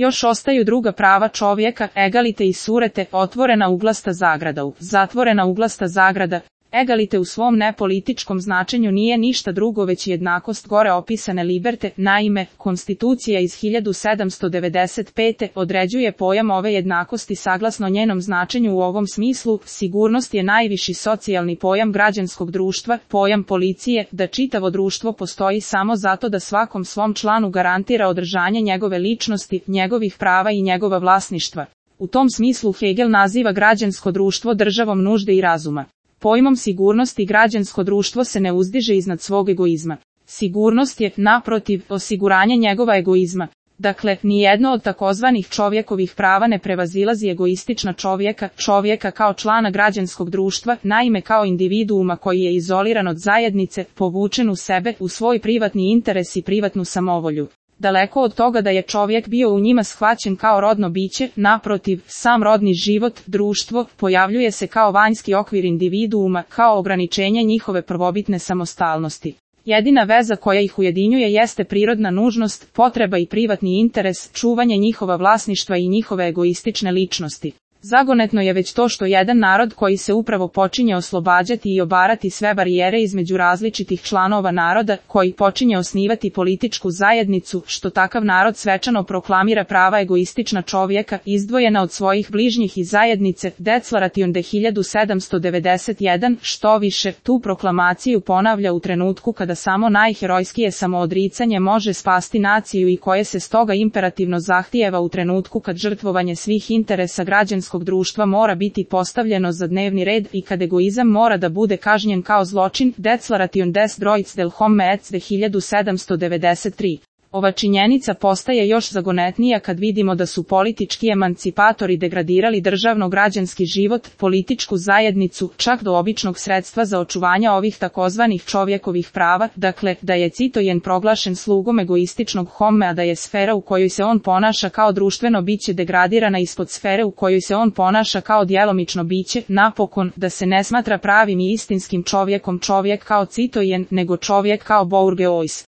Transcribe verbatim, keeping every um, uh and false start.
Još ostaju druga prava čovjeka, egalite i surete, otvorena uglasta zagrada u, zatvorena uglasta zagrada. Egalite u svom nepolitičkom značenju nije ništa drugo već jednakost gore opisane liberte. Naime, Konstitucija iz hiljadu sedamsto devedeset pete. određuje pojam ove jednakosti saglasno njenom značenju u ovom smislu. Sigurnost je najviši socijalni pojam građanskog društva, pojam policije, da čitavo društvo postoji samo zato da svakom svom članu garantira održanje njegove ličnosti, njegovih prava i njegova vlasništva. U tom smislu Hegel naziva građansko društvo državom nužde i razuma. Pojmom sigurnosti građansko društvo se ne uzdiže iznad svog egoizma. Sigurnost je, naprotiv, osiguranje njegova egoizma. Dakle, nijedno od takozvanih čovjekovih prava ne prevazilazi egoistična čovjeka, čovjeka kao člana građanskog društva, naime kao individuuma koji je izoliran od zajednice, povučen u sebe, u svoj privatni interes i privatnu samovolju. Daleko od toga da je čovjek bio u njima shvaćen kao rodno biće, naprotiv, sam rodni život, društvo, pojavljuje se kao vanjski okvir individuuma, kao ograničenje njihove prvobitne samostalnosti. Jedina veza koja ih ujedinjuje jeste prirodna nužnost, potreba i privatni interes, čuvanje njihova vlasništva i njihove egoistične ličnosti. Zagonetno je već to što jedan narod koji se upravo počinje oslobađati i obarati sve barijere između različitih članova naroda, koji počinje osnivati političku zajednicu, što takav narod svečano proklamira prava egoistična čovjeka, izdvojena od svojih bližnjih i zajednice, Declaration de hiljadu sedamsto devedeset jedan, što više, tu proklamaciju ponavlja u trenutku kada samo najherojskije samoodricanje može spasti naciju i koje se stoga imperativno zahtijeva u trenutku kad žrtvovanje svih interesa građanskog društva mora biti postavljeno za dnevni red i kad egoizam mora da bude kažnjen kao zločin. Declaration des droits del homme de hiljadu sedamsto devedeset tri. Ova činjenica postaje još zagonetnija kad vidimo da su politički emancipatori degradirali državno-građanski život, političku zajednicu, čak do običnog sredstva za očuvanje ovih takozvanih čovjekovih prava, dakle, da je citojen proglašen slugom egoističnog homme, a da je sfera u kojoj se on ponaša kao društveno biće degradirana ispod sfere u kojoj se on ponaša kao djelomično biće, napokon, da se ne smatra pravim i istinskim čovjekom čovjek kao citojen, nego čovjek kao bourgeois.